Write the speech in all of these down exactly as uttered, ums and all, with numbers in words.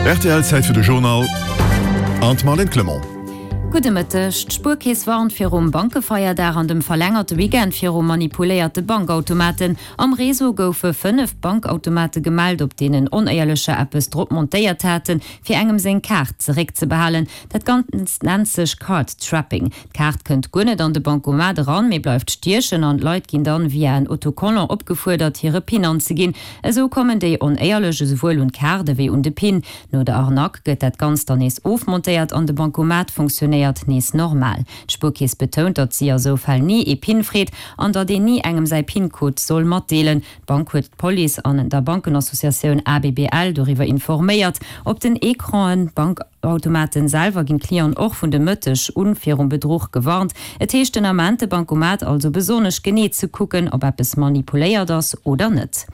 Rtl, Zäit fir de Journal an d'Marlène Clement. Gudde Mëtteg. D'Spuerkeess warnt virum Bankefeierdag an dem verlängerte Weekend viru manipuléierte Bankautomaten. Am Réseau goufe fënnef Bankautomate gemellt, op deenen Onéierlecher eppes drop montéiert haten, fir engem seng Kaart zeréckzebehalen. Dat Ganzt nennt sech Card Trapping. D'Kaart kënnt guer net an de Bancomat eran, mee bleift stiechen an d'Leit ginn dann via en Autocollant opgefuerdert, hire Pin anzeginn. Esou kommen déi Onéierlech esouwuel un d'Kaart ewéi un de Pin. No der Arnaque gëtt dat Ganzt dann nees ofmontéiert an de Bancomat funktionéiert nees normal. D'Spuerkeess betount, datt si a sou Fäll ni ee Pin freet an datt een ni engem säi Pin-Code soll matdeelen. D'Bank huet d'Police an der Bankenassociatioun A B B L doriwwer informéiert. Op den Ecranen, Bankautomaten selwer ginn d'Clienten och vun de Mëtteg un virum Bedruch gewarnt. Et heescht den Ament de Bancomat also besonnesch genee ze kucken, ob eppes manipuléiert ass oder net.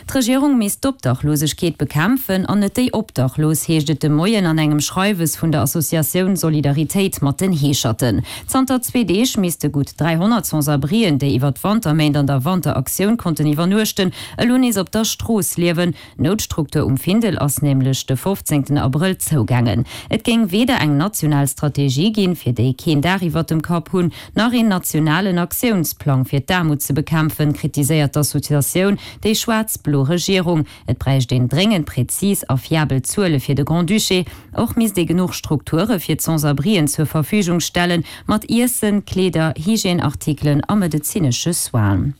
D'Regierung misst d'Obdachlosegkeet bekämpfen an net déi Obdachlos, heescht et de Moien an engem Schreiwes vun der Associatioun Solidaritéit mat den Heescherten. Zanter zwee Deeg misste gutt dräihonnert Sans-abrien, déi iwwer d'Wanterméint an der Wanteraktioun konnten iwwernuechten, elo nees op der Strooss liewen. D'Noutstruktur um Findel ass nämlech de fofzéngten Abrëll zougaangen. Et géing weder eng national Strategie ginn, fir déi keen Daach iwwer dem Kapp hunn, nach een nationalen Aktiounsplang fir d'Aarmut ze bekämpfen, kritiséiert d'Associatioun déi schwaarz-blo Regierung. Et bräicht een dréngend prezis a fiabel Zuele fir de Grand-Duché. Och misst ee genuch Strukture fir d'Sans-abrien zur Verfügung stellen, mat Iessen, Kleeder, Hygièneartikelen a medezinesche Soinen.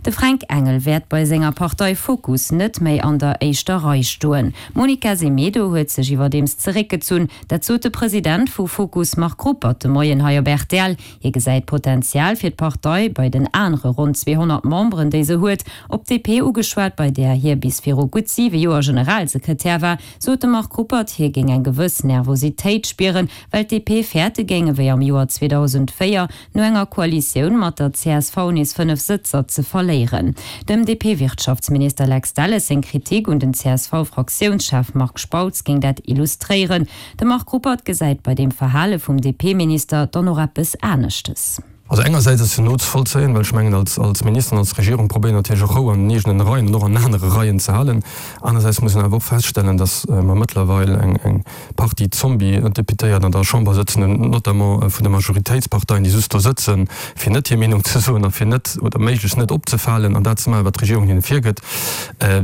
De Fränk Engel wäert bei senger Partei Fokus net méi an der éischter Rei stoen. D'Monica Semedo huet sech iwwerdeems zeréckgezunn. Dat sot de President vu Fokus Marc Ruppert de Moien hei op rtl. Hie gesäit Potenzial fir d'Partei bei den anere ronn zweehonnert Memberen, déi se huet. Op d'D P ugeschwat, bei där hie bis viru gutt siwe Joer Generalsekretär war, sot de Marc Ruppert, hie géing eng gewëss Nervositéit spieren, well d'D P fäerte géing, ewéi am Joer zweedausendvéier no enger Koalitioun mat der C S V nees fënnef Sëtzer ze verléieren. Dem D P-Wirtschaftsminister Lex Delles seng Kritik un den C S V-Fraktiounschef Marc Spautz géing dat illustréieren. De Marc Ruppert gesäit bei deem Verhale vum D P-Minister dann och eppes aneschtes. Also engersäits ass jo nozevollzéien, well ech mengen als als Minister an als Regierung probéieren natierlech och Rou an den eegenen Reien an och an anere Reien ze halen. Anersäits muss een awer och feststellen, datt mer mëttlerweil eng eng Partie Zombie-Deputéiert an der Chamber sëtzen hunn, notamment vun de Majoritéitsparteien, déi just do sëtzen, fir net hir Meenung ze soen a fir net oder méiglechst net opzefalen an dat ze maachen, wat d'Regierung hinne virgëtt.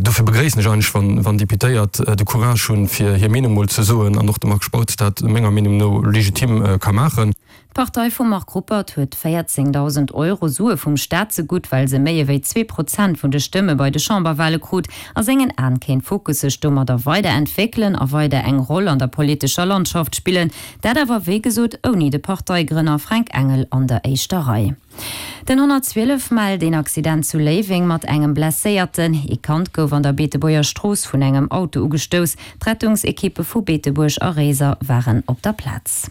Dofir begréissen ech eigentlech, wann wann Deputéiert de Courage hunn, fir hir Meenung mol ze soen an och de Marc Spautz dat menger Meenung no legitim ka maachen. D'Partei vum Marc Ruppert huet véierzéngdausend Euro Sue vum Staat zegutt, well se méi ewéi zwee Prozent vun de Stëmme bei de Chamberwale krut. A sengen Aen kéint Fokus sech domadder weider entwéckelen a weider eng Roll an der politescher Landschaft spillen. Dat awer wéi gesot ouni de Parteigrënner Fränk Engel an der éischter Rei. Den honnertzwielef mellt een Accident zu Léiweng mat engem Blesséierten. Ee Kand gouf an der Beetebuerger Strooss vun engem Auto ugestouss. D'Rettungsekippe vu Beetebuerg a Réiser waren op der Plaz.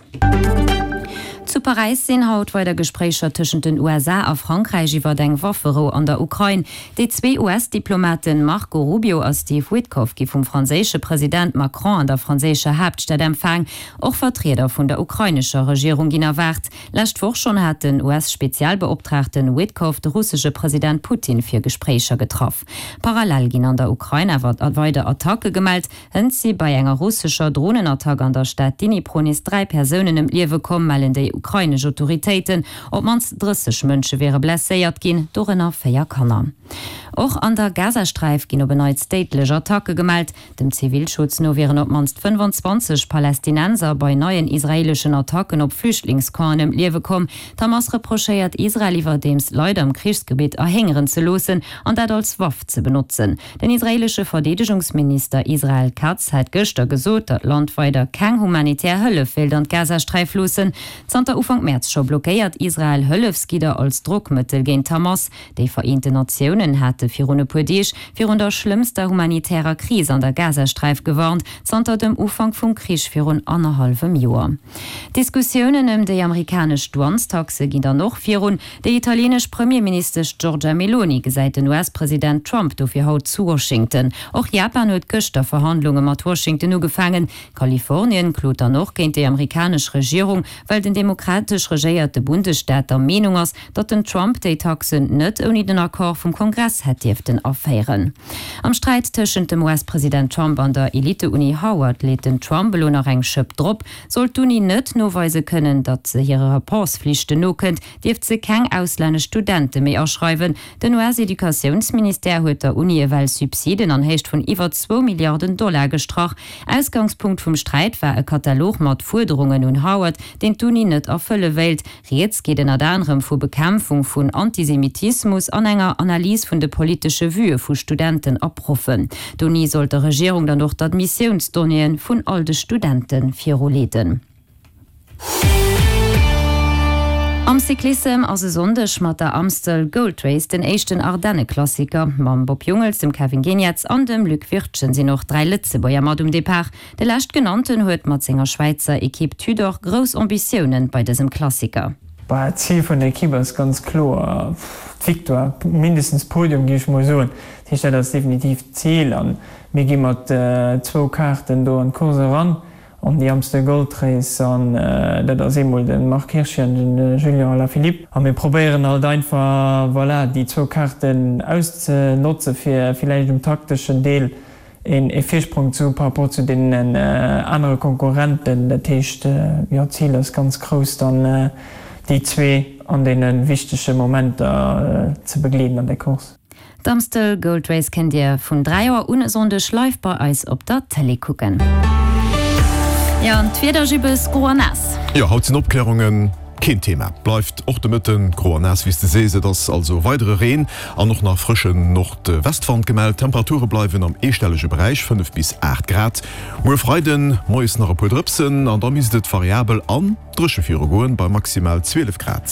Zu Paräis sinn haut weider Gespréicher tëschent den U S A a Frankräich iwwer eng Wafferou an der Ukrain. Déi zwee U S-Diplomaten Marco Rubio a Steve Witkoff gi vum franséische President Macron an der franséischer Haaptstad empfaang. Och Vertrieder vun der ukrainescher Regierung ginn erwaart. Lescht Woch schonn hat den U S-Spezialbeoptraagten Witkoff de russesche President Putin fir Gespréicher getraff. Parallel ginn an der Ukrain awer weider Attacke gemellt. Hënt si bei enger russescher Dronenattack an der Stad Dnipro nees dräi Persounen ëm d'Liewe komm, mellen déi ukrainesch Autoritéiten. Op d'mannst drësseg Mënsche wiere blesséiert ginn, dorënner véier Kanner. Och an der Gazasträif ginn op en Neits déidlech Attacke gemellt. Dem Zivilschutz no wieren op d'mannst fënnefanzwanzeg Palästinenser bei neien israeeleschen Attacken op Flüchtlingscampen ëm d'Liewe komm. D'Hamas reprochéiert Israel iwwerdeems, Leit am Krichsgebitt erhéngeren ze loossen an dat als Waff ze benotzen. Den israeelesche Verdeedegungsminister Israel Katz hat gëschter gesot, datt d'Land weider keng humanitär Hëllef wéilt an d'Gazasträif loossen. Zanter Ufank Mäerz scho blockéiert Israel Hëllefsgidder als Drockmëttel géint d'Hamas. Déi Vereenten Natiounen hate virun e puer Deeg virun der schlëmmster humanitärer Kris an der Gazasträif gewarnt, zanter dem Ufank vum Krich virun annerhallwem Joer. D'Diskussiounen ëm déi amerikanesch Douanestaxe ginn dann och virun. Déi italieenesch Premierministesch Giorgia Meloni gesäit den U S-President Trump dofir haut zu Washington. Och Japan huet gëschter Verhandlunge mat Washington ugefaangen. Kalifornien klot dann och géint déi amerikanesch Regierung, well den demokratesch regéierte Bundesstaat der Meenung ass, datt den Trump déi Taxen net ouni den Accord vum Kongress hätt dierften aféieren. Am Sträit tëschent dem US-President Trump an der Elite-Uni Howard leet den Trump elo nach eng Schëpp drop. Sollt d'Uni net noweise kënnen, datt se hire Rapportsflichten nokënnt, dierft se keng auslännesch Studente méi aschreiwen. Den US-Educatiounsministère huet der Uni ewell Subsiden an Héicht vun iwwer zwou Milliarden Dollar gestrach. Ausgangspunkt vum Sträit war e Katalog mat Fuerderungen un Howard, deen d'Uni net erfëlle wéilt. Rieds geet ënnert anerem vu Bekämpfung vun Antisemitismus an enger Analys vun de politesche Vuë vu Studenten a Proffen. D'Uni sollt der Regierung dann och d'Admissiounsdonnéeë vun all de Studente viruleeden. Am Cyclissem ass e Sonndeg mat der Amstel Gold Race den éischten Ardenneklassiker. Mam Bob Jungels, dem Kevin Geniets an dem Luc Wirtgen sinn och dräi Lëtzebuerger mat um Depart. De Leschtgenannten huet mat senger Schwäizer Ekipp Tudor grouss Ambitiounen bei dësem Klassiker. Bah, d'Zil vun der Ekipp ass ganz kloer d'Victoire, mindestens Podium géif ech mol soen. Dat heescht, dat ass definitiv d'Zil a mir gi mat zwou Kaarten do an d'Course eran. An déi Amstel Gold Race an dat ass eemol de Marc Hirschi an den Julian Alaphilippe. A mir probéieren halt einfach, voilà, déi zwou Kaarten auszenotze fir villäicht um takteschen Deel een ee Virsprong ze hu par rapport zu deenen anere Konkurrenten. Dat heescht, jo, d'Zil ass ganz grouss dann déi zwee an deene wichtege Momenter ze begleeden an der Course. D'Amstel Gold Race kennt Dir vun dräi Auer un e Sonndeg live bei eis op der Télé kucken. Jo, an d'Wieder, Jibbes, gro an naass. Jo, haut sinn Opklärunge keen Thema. Bleift och de Mëtten gro an naass, wéi s de sees. Et ass also weidere Reen an och nach frëschen Nordwestwand gemellt. D'Temperature bleiwen am eestellege Beräich, fënnef bis aacht Grad. Muer Freiden moies nach e puer Drëpsen an da misst et variabel an dréche virugoen, bei maximal zwielef Grad.